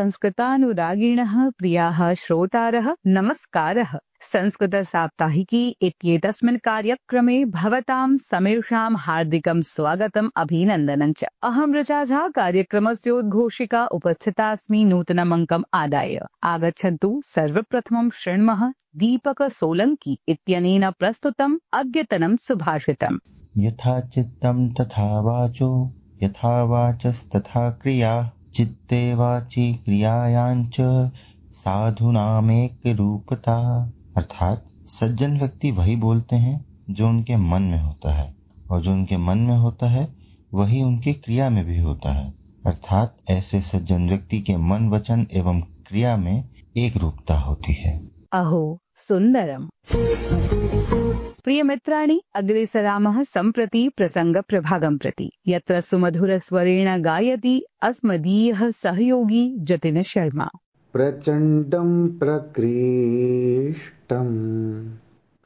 संस्कृतानुरागिणः प्रियाः श्रोतारः नमस्कारः। संस्कृतसाप्ताहिकी इत्येतस्मिन् कार्यक्रमे भवतां समेषां हार्दिकं स्वागतम् अभिनन्दनं च। अहं ऋचा झा कार्यक्रमस्योद्घोषिका उपस्थितास्मि नूतनमङ्कम् आदाय। आगच्छन्तु सर्वप्रथमं शृण्मः दीपक सोलंकी इत्यनेन प्रस्तुतम् अद्यतनं सुभाषितम्। यथा चित्तं तथा वाचो, यथा वाचस्तथा क्रिया, चित्ते वाची क्रियायाञ्च साधूनामेक रूपता। अर्थात सज्जन व्यक्ति वही बोलते हैं जो उनके मन में होता है, और जो उनके मन में होता है वही उनकी क्रिया में भी होता है। अर्थात ऐसे सज्जन व्यक्ति के मन, वचन एवं क्रिया में एक रूपता होती है। अहो सुन्दरम्। प्रियमित्राणि, अग्रे सरामः सम्प्रति प्रसङ्गप्रभागं प्रति, यत्र सुमधुरस्वरेण गायति अस्मदीयः सहयोगी जतिन शर्मा। प्रचण्डं प्रकृष्टं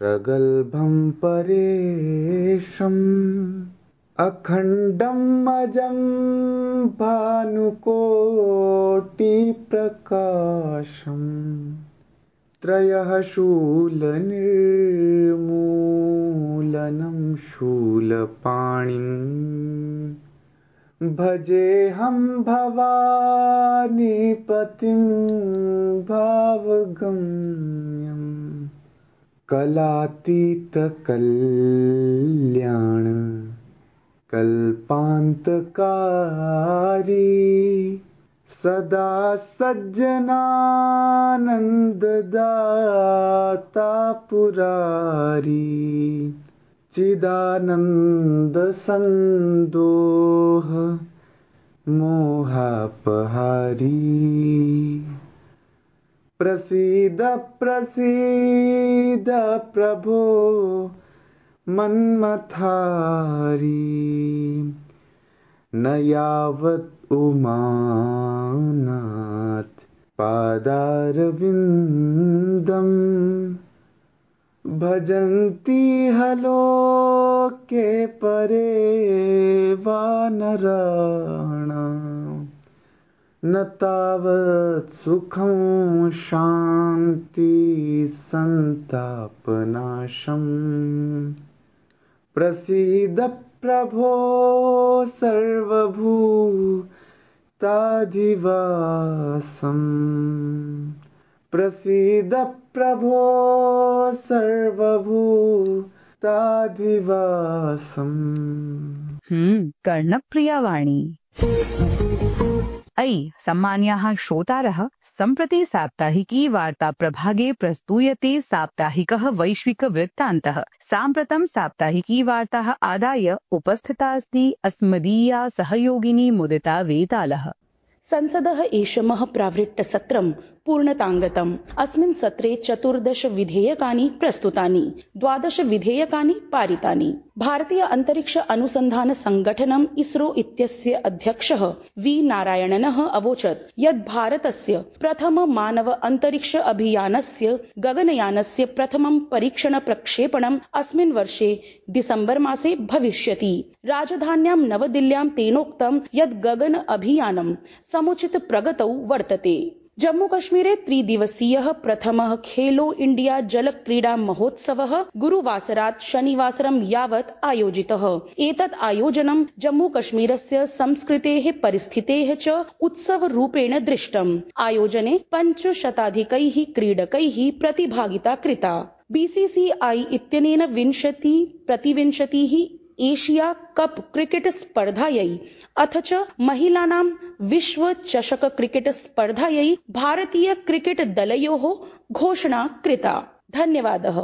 प्रगल्भं परेशम् अखण्डम् अजं भानुकोटिप्रकाशम् त्रयः शूलनिर्मूलनं शूलपाणिम् भजेऽहं भवानीपतिं भावगम्यम् कलातीतकल्याण कल्पान्तकारी सदा सज्जनानन्ददाता पुरारी चिदानन्द संदोह मोहापहारी प्रसीद प्रसीद प्रभो मन्मथारी न यावत् उमानाथ पादारविन्दम् भजन्ति हलोके परे वानराणाम् न तावत् सुखं शान्ति संतापनाशम् प्रसीद प्रभो सर्वभूताधिवासम् प्रसीद प्रभो सर्वभूताधिवासम्। कर्णप्रियवाणी। अयि सम्मान्याः श्रोतारः, सम्प्रति साप्ताहिकी वार्ता प्रभागे प्रस्तूयते साप्ताहिकः वैश्विक वृत्तान्तः। साम्प्रतं साप्ताहिकी वार्ताः आदाय उपस्थिता अस्ति अस्मदीया सहयोगिनी मुदिता वेतालः। संसदः एषमः प्रावृट्टसत्रं पूर्णताङ्गतम्। अस्मिन् सत्रे 14 विधेयकानि प्रस्तुतानि, 12 विधेयकानि पारितानि। भारतीय अंतरिक्ष अनुसंधान संगठनम् इसरो इत्यस्य अध्यक्षः वी नारायणनः अवोचत् यत् भारतस्य प्रथम मानव अंतरिक्ष अभियानस्य गगनयानस्य प्रथमं परीक्षण प्रक्षेपणम् अस्मिन् वर्षे डिसेम्बर मासे भविष्यति। राजधान्यां नवदिल्ल्यां तेनोक्तं यत् गगन अभियानं समुचित प्रगतौ वर्तते। जम्मू कश्मीरे 3 दिवसीयः प्रथमः खेलो इंडिया जल क्रीडा महोत्सवः गुरुवासरात् शनिवासरं यावत् आयोजितः। एतत् आयोजनं जम्मू कश्मीरस्य संस्कृतेः परिस्थितेः च उत्सवरूपेण दृष्टम्। आयोजने 500 क्रीडकैः प्रतिभागिता कृता। बीसीसीआई इत्यनेन 20-प्रतिविंशतिः एशिया कप क्रिकेट स्पर्धायै अथ च महिलानां विश्व चषक क्रिकेट स्पर्धायै भारतीय क्रिकेट दलयोः घोषणा कृता। धन्यवादः।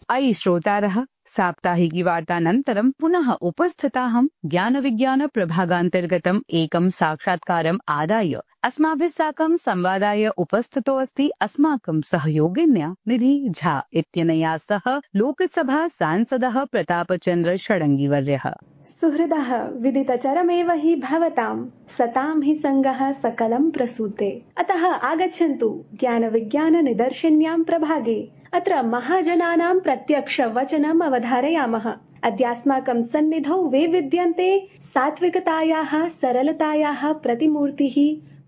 अयि श्रोतारः, साप्ताहिकी वार्तानन्तरं पुनः उपस्थिताहं ज्ञानविज्ञान प्रभागान्तर्गतम् एकं साक्षात्कारम् आदाय। अस्माभिः साकं संवादाय उपस्थितो अस्ति अस्माकं सहयोगिन्या निधि झा इत्यनया सह लोकसभा सांसदः प्रतापचन्द्र षडङ्गीवर्यः। सुहृदः विदितचरमेव हि भवतां सतां हि सङ्गः सकलं प्रसूते। अतः आगच्छन्तु ज्ञानविज्ञान निदर्शन्यां प्रभागे। अत्र महाजनानां प्रत्यक्ष वचनम् अवधारयामः। अद्यास्माकं सन्निधौ वैविध्यन्ते सात्विकतायाः सरलतायाः प्रतिमूर्तिः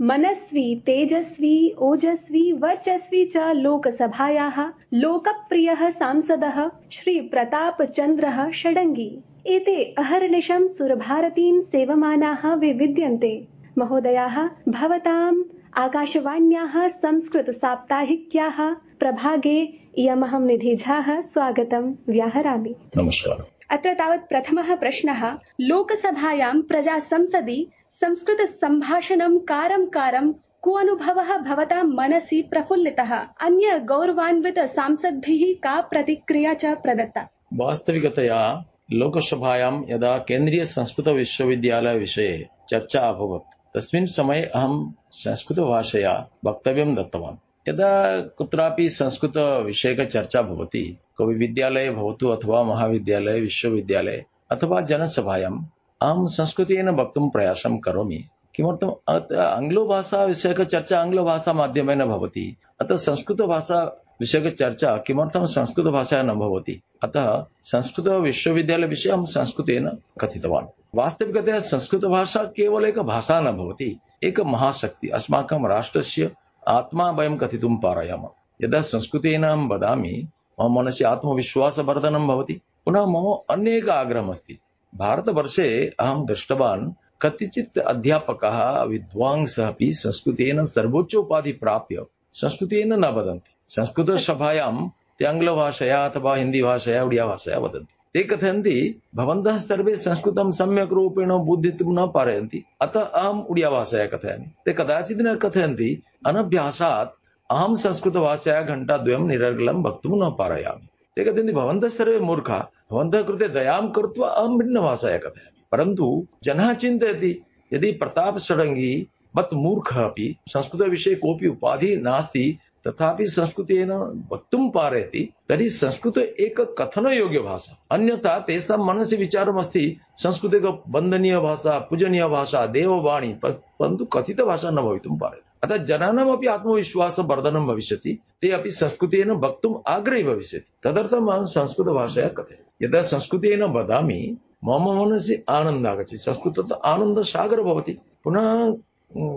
मनस्वी तेजस्वी ओजस्वी वर्चस्वी च लोकसभायाः लोकप्रियः सांसदः श्री प्रतापचन्द्रः षडङ्गी। एते अहर्निशं सुरभारतीं सेवमानाः विविद्यन्ते। महोदयाः, भवताम् आकाशवाण्याः संस्कृतसाप्ताहिक्याः प्रभागे इयमहं निधि झाः स्वागतं व्याहरामि। नमस्कारः। अत्र तावत् प्रथमः प्रश्नः। लोकसभायां प्रजासंसदि संस्कृतसम्भाषणं कारं को अनुभवः भवतां मनसि प्रफुल्लितः? अन्य गौरवान्वित सांसद्भिः का प्रतिक्रिया च प्रदत्ता? वास्तविकतया लोकसभायां यदा केन्द्रीय संस्कृत विश्वविद्यालय विषये चर्चा अभवत् तस्मिन् समये अहं संस्कृतभाषया वक्तव्यं दत्तवान्। यदा कुत्रापि संस्कृतविषयकचर्चा भवति, कोऽपि विद्यालये भवतु अथवा महाविद्यालये विश्वविद्यालये अथवा जनसभायाम् अहं संस्कृतेन वक्तुं प्रयासं करोमि। किमर्थम्? आङ्ग्लभाषा विषयकचर्चा आङ्ग्लभाषामाध्यमेन भवति, अतः संस्कृतभाषा विषयकचर्चा किमर्थं संस्कृतभाषया न भवति? अतः संस्कृतविश्वविद्यालय विषये अहं संस्कृतेन कथितवान्। वास्तविकतया संस्कृतभाषा केवल एक भाषा न भवति, एक महाशक्ति, अस्माकं राष्ट्रस्य आत्मा वयं कथितुं पारयामः। यदा संस्कृतेन अहं वदामि मम मनसि आत्मविश्वासवर्धनं भवति। पुनः मम अन्य एकः आग्रहः अस्ति। भारतवर्षे अहं दृष्टवान् कतिचित् अध्यापकाः विद्वांसः अपि संस्कृतेन सर्वोच्चोपाधिं प्राप्य संस्कृतेन न वदन्ति। संस्कृतसभायां ते आङ्ग्लभाषया अथवा हिन्दीभाषया उडिया भाषया वदन्ति। ते कथयन्ति भवन्तः सर्वे संस्कृतं सम्यक् रूपेण बोधितुं न पारयन्ति, अतः अहम् उडिया भाषया कथयामि। ते कदाचित् न कथयन्ति अनभ्यासात् अहं संस्कृतभाषया घण्टाद्वयं निरर्गलं वक्तुं न पारयामि। ते कथयन्ति भवन्तः सर्वे मूर्खाः, भवन्तः कृते दयां कृत्वा अहं भिन्नभाषया कथयामि। परन्तु जनः चिन्तयति यदि प्रताप षडङ्गी वत् मूर्खः अपि संस्कृतविषये कोऽपि उपाधिः नास्ति तथापि संस्कृतेन वक्तुं पारयति, तर्हि संस्कृत एक कथनयोग्य भाषा। अन्यथा तेषां मनसि विचारमस्ति संस्कृत एक वन्दनीय भाषा, पूजनीय भाषा, देववाणी, परन्तु कथितभाषा न भवितुं पारयति। अतः जनानामपि आत्मविश्वासवर्धनं भविष्यति, ते अपि संस्कृतेन वक्तुम् आग्रही भविष्यति। तदर्थम् अहं संस्कृतभाषया कथयामि। यदा संस्कृतेन वदामि मम मनसि आनन्दः आगच्छति। संस्कृततः आनन्दसागरः भवति। पुनः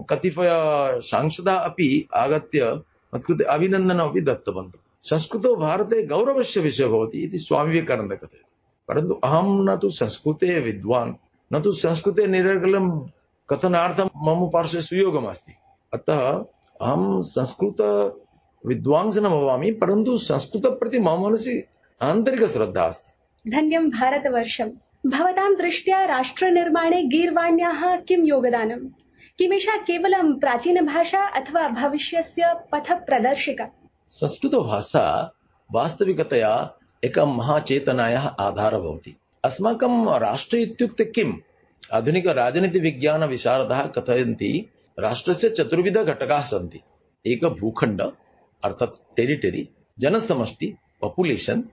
कतिपय सांसदाः अपि आगत्य मत्कृते अभिनन्दनमपि दत्तवन्तः। संस्कृतो भारते गौरवस्य विषयः भवति इति स्वामी विवेकानन्दः कथयति। परन्तु अहं न तु संस्कृते विद्वान्, न तु संस्कृते निरर्गलं कथनार्थं मम पार्श्वे सुयोगमस्ति। अतः अहं संस्कृत विद्वांसः न भवामि, परन्तु संस्कृतप्रति मम मनसि आन्तरिकश्रद्धा अस्ति। धन्यं भारतवर्षम्। भवतां दृष्ट्या राष्ट्रनिर्माणे गीर्वाण्याः किं योगदानम्? किमेषा केवलं प्राचीनभाषा अथवा भविष्यस्य पथप्रदर्शिका? संस्कृतभाषा वास्तविकतया एक महाचेतनायाः आधारः भवति। अस्माकं राष्ट्र इत्युक्ते किम्? आधुनिकराजनीतिविज्ञानविशारदाः कथयन्ति राष्ट्रस्य चतुर्विध घटकाः सन्ति। एक भूखण्ड अर्थात् टेरिटरी, जनसमष्टि पॉपुलेशन,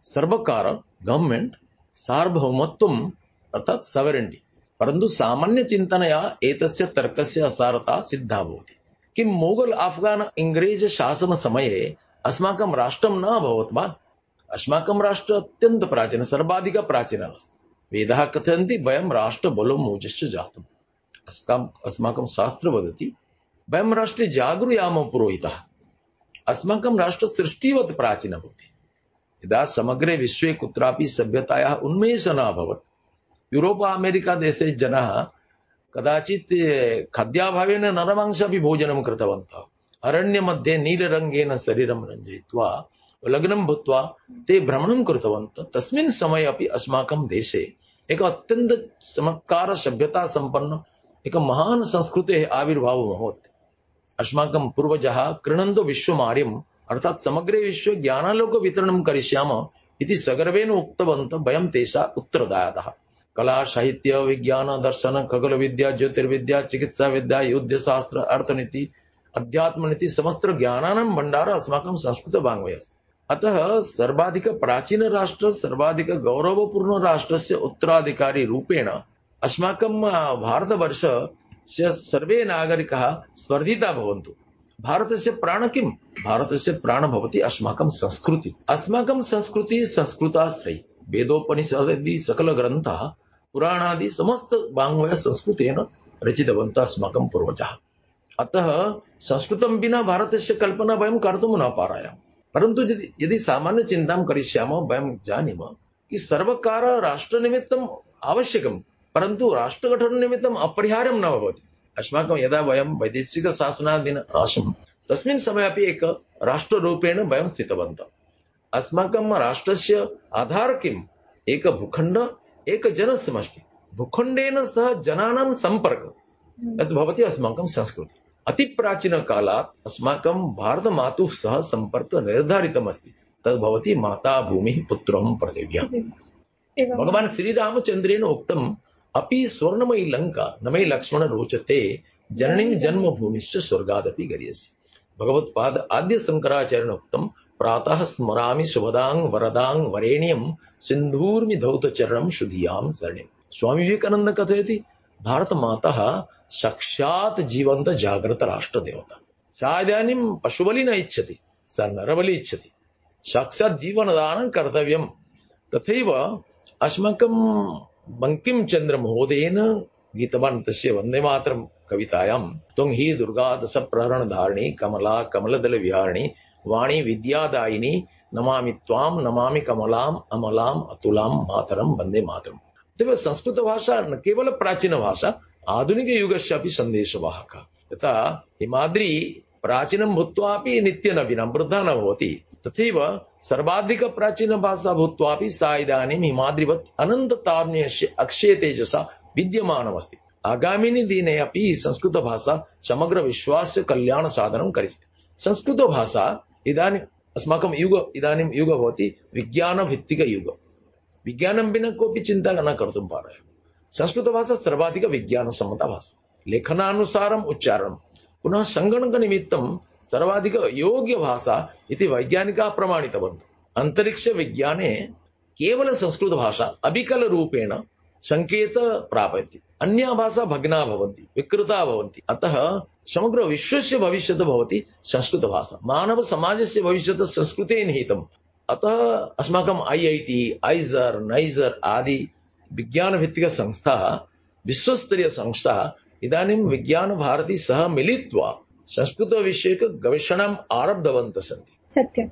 सर्वकार गवर्नमेंट, सार्वभौमत्वम् अर्थात् सॉवरेनिटी। परन्तु सामान्य चिन्तनया एतस्य तर्कस्य असारता सिद्धा भवति। किं मोगल अफगान इंग्रेज शासन समये अस्माकं राष्ट्रं न अभवत् वा? अस्माकं राष्ट्र अत्यन्त प्राचीन, सर्वाधिक प्राचीनः अस्ति। वेदाः कथयन्ति वयं राष्ट्रबलो मोजश्च जातम्। अस्माकं शास्त्र वदति वयं राष्ट्रे जागृयामः पुरोहितः। अस्माकं राष्ट्र सृष्टिवत् प्राचीनः भवति। यदा समग्रे विश्वे कुत्रापि सभ्यतायाः उन्मेषः न अभवत्, यूरोप अमेरिका देशे जनाः कदाचित् खाद्याभावेन नरमांसापि भोजनं कृतवन्तः। अरण्यमध्ये नीलरङ्गेन शरीरं रञ्जयित्वा लग्नं भूत्वा ते भ्रमणं कृतवन्तः। तस्मिन् समये अपि अस्माकं देशे एक अत्यन्त चमत्कार सभ्यता सम्पन्न एक महान् संस्कृतेः आविर्भावः अभवत्। अस्माकं पूर्वजाः कृणन्तो विश्वमार्यम् अर्थात् समग्रे विश्वे ज्ञानालोक वितरणं करिष्यामः इति सगर्वेण उक्तवन्तः। वयं तेषां उत्तरदायिनः। कला साहित्य विज्ञान दर्शन खगोल विद्या ज्योतिर्विद्या चिकित्सा विद्या युद्धशास्त्र अर्थनीति अध्यात्मनीति समस्त ज्ञानानां भण्डारः अस्माकं संस्कृतवाङ्मये अस्ति। अतः सर्वाधिक प्राचीन राष्ट्र सर्वाधिक गौरवपूर्ण राष्ट्रस्य उत्तराधिकारी रूपेण अस्माकं भारतवर्षस्य सर्वे नागरिकाः स्पर्धिता भवन्तु। भारतस्य प्राण किम्? भारतस्य प्राण भवति अस्माकं संस्कृति। अस्माकं संस्कृति संस्कृताश्रयी। वेदोपनिषदादि सकल ग्रन्थाः पुराणादि समस्त वाङ्मय संस्कृतेन रचितवन्तः अस्माकं पूर्वजाः। अतः संस्कृतं विना भारतस्य कल्पना वयं कर्तुं न पारायाम। परन्तु यदि सामान्य चिन्तां करिष्यामः वयं जानीमः कि सर्वकार राष्ट्रनिमित्तम् आवश्यकं, परन्तु राष्ट्रगठननिमित्तम् अपरिहार्यं न भवति। अस्माकं यदा वयं वैदेशिकशासनाधीन आसम् तस्मिन् समये अपि एक राष्ट्ररूपेण वयं स्थितवन्तः। अस्माकं राष्ट्रस्य आधार किम्? एक भूखण्ड, एक जनसमष्टि। भूखण्डेन सह जनानां सम्पर्क तद् भवति अस्माकं संस्कृति। अतिप्राचीनकालात् अस्माकं भारतमातुः सह सम्पर्कः निर्धारितमस्ति। तद् भवति माता भूमिः पुत्रं पृथिव्याम्। भगवान् श्रीरामचन्द्रेण उक्तम् अपि स्वर्णमयी लङ्का न मे लक्ष्मण रोचते जननीं जन्मभूमिश्च स्वर्गादपि गरीयसी। भगवत्पाद आद्य शंकराचार्येण उक्तं प्रातः स्मरामि शुभदां वरदां वरेण्यं सिन्धूर्मि धौतचरणं शुधियां शरणिम्। स्वामी विवेकानंद कथयति भारत माता साक्षात् जीवंत जागृत राष्ट्रदेवता। सा इदानीं पशुबलि न इच्छति, सा नरबलि इच्छति। साक्षात् जीवनदानं कर्तव्यं। तथैव अस्माकं बंकिमचन्द्र महोदयेन गीतवान् तस्य वन्दे मातरं कवितायां त्वं हि दुर्गा दश प्रहरण धारिणी कमला कमलदल विहारिणी वाणी विद्यादायिनी नमामि त्वां नमामि कमलाम् अमलाम् अतुलां मातरं वन्दे मातरम्। तदेव संस्कृत भाषा न केवल प्राचीन भाषा, आधुनिक युगस्य अपि सन्देशवाहका। यथा हिमाद्री प्राचीनं भूत्वापि नित्यनवीनं वृद्धा न भवति, तथैव सर्वाधिक प्राचीन भाषा भूत्वापि सा इदानीं हिमाद्रिवत् अनन्ततारुण्यस्य अक्षय तेजसा विद्यमानमस्ति। आगामिनि दिने अपि संस्कृत भाषा समग्र विश्वस्य कल्याण साधनं करिष्यति। संस्कृत भाषा इदानीं अस्माकं इदानीं युग भवति विज्ञानभित्तिक युग। विज्ञानं विना कोऽपि चिन्ता न कर्तुं पारयाति। संस्कृत भाषा सर्वाधिक विज्ञानसम्मता भाषा। लेखनानुसारम् उच्चारणं पुनः संगणकनिमित्तं सर्वाधिक योग्य भाषा इति वैज्ञानिकाः प्रमाणितवन्तः। अंतरिक्ष विज्ञाने केवल संस्कृत भाषा अविकल रूपेण संकेत प्राप्यते। अन्या भाषा भग्ना भवन्ति, विकृता भवन्ति। अतः समग्र विश्वस्य भविष्यत् भवति संस्कृत भाषा। मानव समाजस्य भविष्यत् संस्कृते निहितम्। अतः अस्माकं IIT, आइजर, नाइजर आदि विज्ञानभित्तिक संस्थाः, विश्वस्तरीय संस्थाः इदानीं विज्ञान भारती सह मिलित्वा संस्कृत विषयक गवेषणाम् आरब्धवन्तः सन्ति। सत्यम्।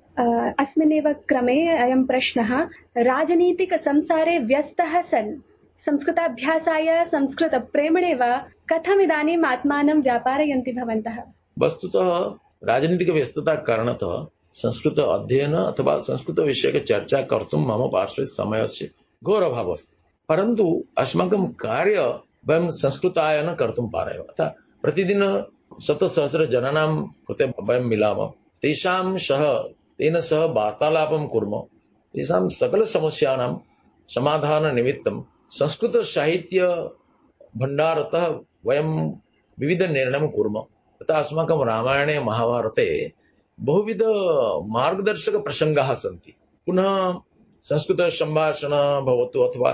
अस्मिन्नेव क्रमे अयं प्रश्नः, राजनीतिक संसारे व्यस्तः सन् संस्कृताभ्यासाय संस्कृत प्रेमणे वा कथम् इदानीम् आत्मानं व्यापारयन्ति भवन्तः? वस्तुतः राजनीतिक व्यस्तता कारणतः संस्कृत अध्ययन अथवा संस्कृत विषयक चर्चा कर्तुं मम पार्श्वे समयस्य घोरभावः अस्ति। परन्तु अस्माकं कार्य वयं संस्कृताय कर्तुं पारयामः। अतः प्रतिदिन शतसहस्र जनानां कृते वयं मिलामः, तेन सह वार्तालापं कुर्मः, तेषां सकल समस्यानां समाधाननिमित्तं संस्कृत साहित्य भण्डारतः वयं विविध निर्णयं कुर्मः। तथा अस्माकं रामायणे महाभारते बहुविध मार्गदर्शक प्रसंगाः सन्ति। पुनः संस्कृत संभाषण भवतु अथवा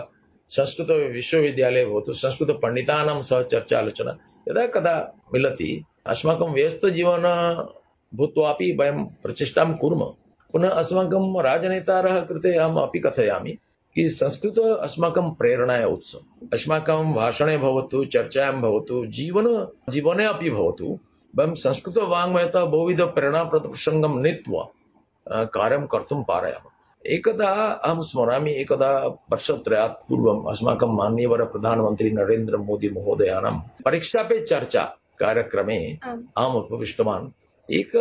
संस्कृत विश्वविद्यालय भवतु, संस्कृत पंडितानां सह चर्चा आलोचना यदा कदा मिलति। अस्माकं व्यस्त जीवन भूत्वापि वयं प्रचेष्टां कुर्मः। पुनः अस्माकं राजनेतारः कृते अहम् अपि कथयामि कि संस्कृत अस्माकं प्रेरणाय उत्सव। अस्माकं भाषणे भवतु, चर्चायां भवतु, जीवने अपि भवतु, वयं संस्कृत वाङ्मयतः बहुविध प्रेरणाप्रद प्रसङ्गं नीत्वा कार्यं कर्तुं पारयामः। एकदा अहं स्मरामि, एकदा वर्षत्रयात् पूर्वम् अस्माकं माननीयवर प्रधानमन्त्री नरेन्द्र मोदी महोदयानां परीक्षा पे चर्चा कार्यक्रमे अहम् उपविष्टवान्। एक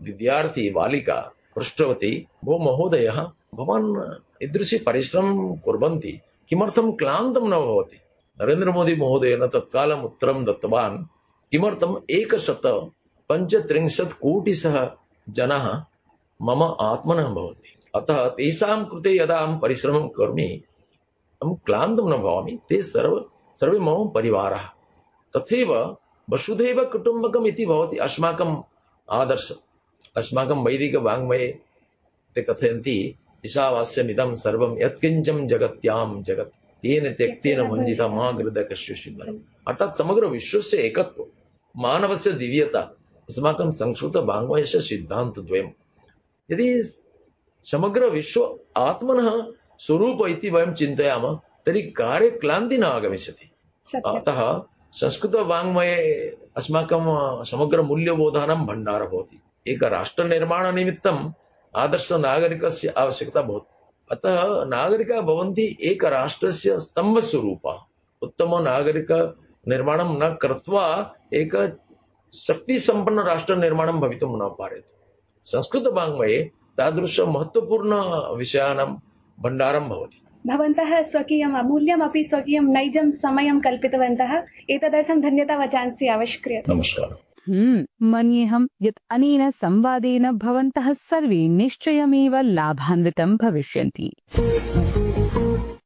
विद्यार्थी बालिका पृष्टवती, भो महोदयः, भवान् ईदृशी परिश्रमं कुर्वन्ति, किमर्थं क्लान्तं न भवति? नरेन्द्र मोदी महोदयेन तत्कालम् उत्तरं दत्तवान्, किमर्थम् 135 कोटिसः जनाः मम आत्मनः भवन्ति। अतः तेषां कृते यदा अहं परिश्रमं करोमि, अहं क्लान्तं न भवामि। ते सर्वे मम परिवारः। तथैव वसुधैव कुटुम्बकम् इति भवति अस्माकम् आदर्श। अस्माकं वैदिक वाङ्मये ते कथयन्ति, ईशावास्यमिदं सर्वं यत्किञ्चं जगत्यां जगत् तेन त्यक्तेन भञ्जिता मा गृदकश्चिन्तनम्। अर्थात् समग्र विश्वस्य एकत्व, मानवस्य दिव्यता अस्माकं संस्कृत वाङ्मयस्य सिद्धान्तद्वयम्। यदि समग्र विश्व आत्मनः स्वरूप इति वयं चिन्तयामः तर्हि कार्ये क्लान्ति न आगमिष्यति। अतः संस्कृत वाङ्मये अस्माकं समग्रमूल्यबोधानां भण्डारः भवति। एकराष्ट्रनिर्माणनिमित्तम् आदर्शनागरिकस्य आवश्यकता भवति। अतः नागरिकाः भवन्ति एकराष्ट्रस्य स्तम्भस्वरूपाः। उत्तमनागरिकनिर्माणं न कृत्वा एक शक्तिसम्पन्नराष्ट्रनिर्माणं भवितुं न पार्यते। संस्कृतवाङ्मये तादृशमहत्त्वपूर्णविषयाणां भण्डारं भवति। भवन्तः स्वकीयम् अमूल्यमपि स्वकीयं नैजं समयं कल्पितवन्तः। एतदर्थं धन्यता वचांसि आवश्यक्रियते। नमस्कारः। मन्येऽहं यत् अनेन संवादेन भवन्तः सर्वे निश्चयमेव लाभान्वितं भविष्यन्ति।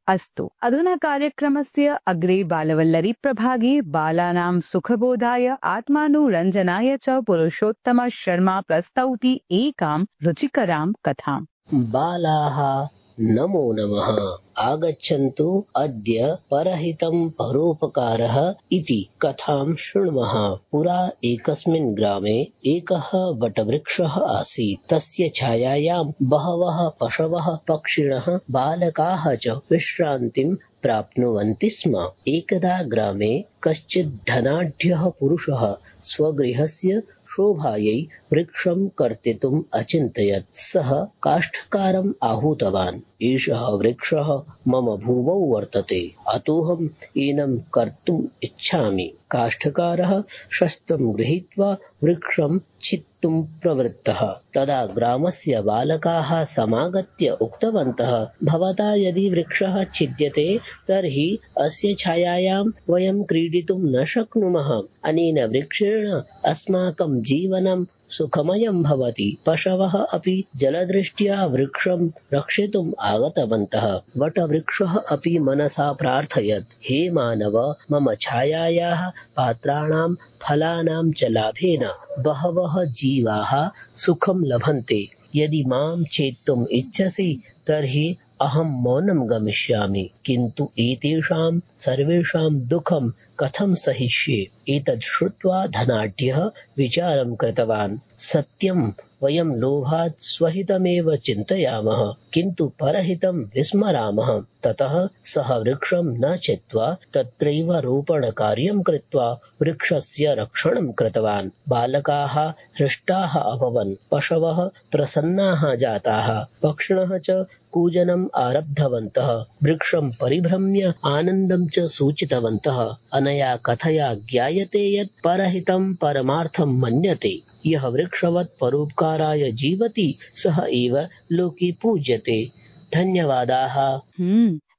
अस्तु, अधुना कार्यक्रमस्य अग्रे बालवल्लरी प्रभागे बालानां सुखबोधाय आत्मानुरञ्जनाय च पुरुषोत्तम शर्मा प्रस्तौति एकां रुचिकरां कथाम्। बालाः नमो नमः। आगच्छन्तु अद्य परहितं परोपकारः इति कथां शृण्मः। पुरा एकस्मिन् ग्रामे एकः वटवृक्षः आसीत्। तस्य छायायां बहवः पशवः, पक्षिणः, बालकाः च विश्रान्तिं प्राप्नुवन्ति स्म। एकदा ग्रामे कश्चित् धनाढ्यः पुरुषः स्वगृहस्य शोभायै वृक्षं कर्तितुम् अचिन्तयत्। सः काष्ठकारम् आहूतवान्। एषः वृक्षः मम भूमौ वर्तते, अतोऽहम् एनं कर्तुम् इच्छामि। काष्ठकारः शस्त्रं गृहीत्वा वृक्षं छित्तुं प्रवृत्तः। तदा ग्रामस्य बालकाः समागत्य उक्तवन्तः, भवता यदि वृक्षः छिद्यते तर्हि अस्य छायायां वयं क्रीडितुं न शक्नुमः। अनेन वृक्षेण अस्माकं जीवनं सुखमयं भवति। पशवः अपि जलदृष्ट्या वृक्षं रक्षितुम् आगतवन्तः। वटवृक्षः अपि मनसा प्रार्थयत्, हे मानव, मम छायायाः पात्राणां फलानां च लाभेन बहवः जीवाः सुखं लभन्ते। यदि मां छेत्तुम् इच्छसि तर्हि अहं मौनं गमिष्यामि, किन्तु एतेषां सर्वेषां दुःखं कथं सहिष्ये। एतत् श्रुत्वा धनाढ्यः विचारं कृतवान्, सत्यं वयं लोभात् स्वहितमेव चिन्तयामः, किन्तु परहितं विस्मरामः। ततः सः वृक्षं न छित्त्वा तत्रैव रोपणकार्यं कृत्वा वृक्षस्य रक्षणं कृतवान्। बालकाः हृष्टाः अभवन्, पशवः प्रसन्नाः जाताः, पक्षिणः च कूजनम् आरब्धवन्तः। वृक्षं परिभ्रम्य आनन्दं च सूचितवन्तः। अनया कथया ज्ञायते यत् परहितं परमार्थं मन्यते। यः वृक्षवत् परोपकाराय जीवति सः एव लोके पूज्यते। धन्यवादाः।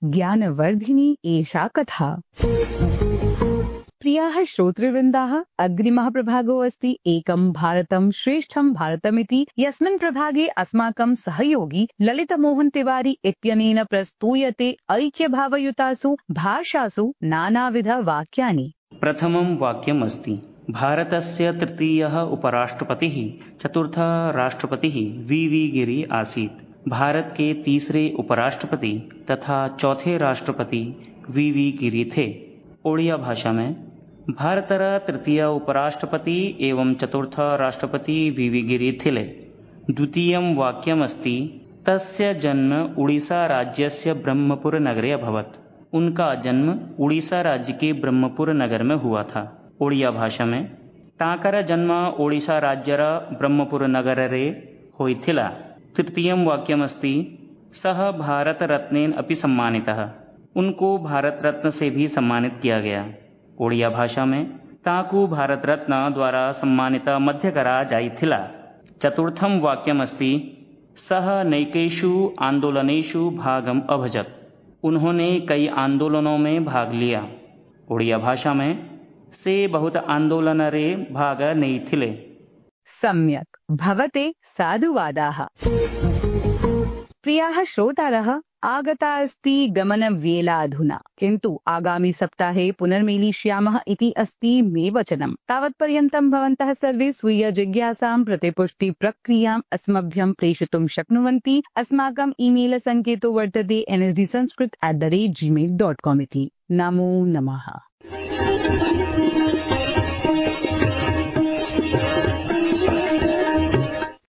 ज्ञानवर्धिनी एषा कथा। प्रियाः श्रोतृवृन्दाः, अग्रिमः प्रभागो अस्ति एकं भारतं श्रेष्ठं भारतमिति, यस्मिन् प्रभागे अस्माकं सहयोगी ललितमोहन तिवारी इत्यनेन प्रस्तूयते ऐक्यभावयुतासु भाषासु नानाविध वाक्यानि। प्रथमं वाक्यम् अस्ति, भारतस्य तृतीयः उपराष्ट्रपतिः चतुर्थः राष्ट्रपतिः वी गिरी आसीत्। भारत के तीसरे उपराष्ट्रपति तथा चौथे राष्ट्रपति वी गिरी थे। ओडिया भाषा में भारतर तृतीय उपराष्ट्रपति एवं चतुर्थ राष्ट्रपति वी गिरी थिले। द्वितीयं वाक्यमस्ति, तस्य जन्म उड़ीसा राज्यस्य ब्रह्मपुर नगरे अभवत्। उनका जन्म उड़ीसा राज्य के ब्रह्मपुर नगर में हुआ था। ओडिया भाषा में ताकर जन्म ओडिशा राज्यर ब्रह्मपुर नगरे होइथिला। तृतीयं वाक्यमस्ति, सः भारत रत्नेन अपि सम्मानितः। उनको भारत रत्न से भी सम्मानित किया गया। ओडिया भाषा में ताकू भारत रत्न द्वारा सम्मानित मध्य करा जाइथिला। चतुर्थं वाक्यमस्ति, सः नैकेषु आंदोलनेषु भागम अभजत। उन्होंने कई आंदोलनों में भाग लिया। ओडिया भाषा में से बहुत आंदोलनरे भाग नैथिले। सम्यक् भवते साधुवादाः। प्रियाः श्रोतारः, आगता अस्ति गमनवेला अधुना, किन्तु आगामि सप्ताहे पुनर्मेलिष्यामः इति अस्ति मे वचनम्। तावत्पर्यन्तं भवन्तः सर्वे स्वीय जिज्ञासां प्रतिपुष्टिप्रक्रियाम् अस्मभ्यं प्रेषितुं शक्नुवन्ति। अस्माकम् ईमेल सङ्केतो वर्तते nsdsanskrit@gmail.com इति। नमो नमः।